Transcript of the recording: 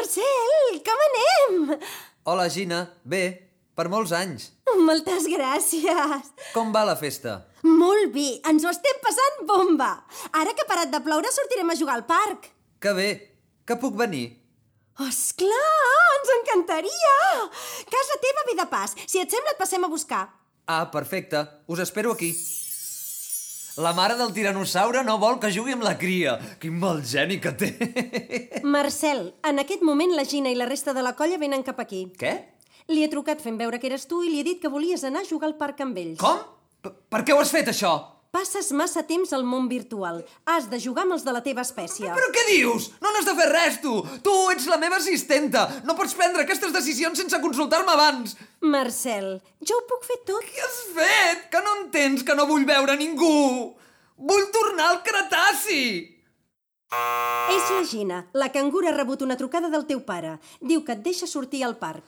Marcel, com anem? Hola, Gina. Bé, per molts anys. Moltes gràcies. Com va la festa? Molt bé, ens ho estem passant bomba. Ara que ha parat de ploure sortirem a jugar al parc. Que bé, que puc venir. Esclar, ens encantaria. Casa teva ve de pas. Si et sembla et passem a buscar. Ah, perfecte. Us espero aquí. La mare del tiranosaure no vol que jugui amb la cria. Quin mal geni que té. Marcel, en aquest moment la Gina i la resta de la colla venen cap aquí. Què? Li he trucat fent veure que eres tu i li he dit que volies anar a jugar al parc amb ells. Com? Per què ho has fet, això? Passes massa temps al món virtual. Has de jugar amb els de la teva espècie. Però què dius? No n'has de fer res, tu! Tu ets la meva assistenta! No pots prendre aquestes decisions sense consultar-me abans! Marcel, jo ho puc fer tot. Què has fet? Que no entens que no vull veure ningú? Vull tornar al Cretaci! És la Gina. La cangura ha rebut una trucada del teu pare. Diu que et deixa sortir al parc.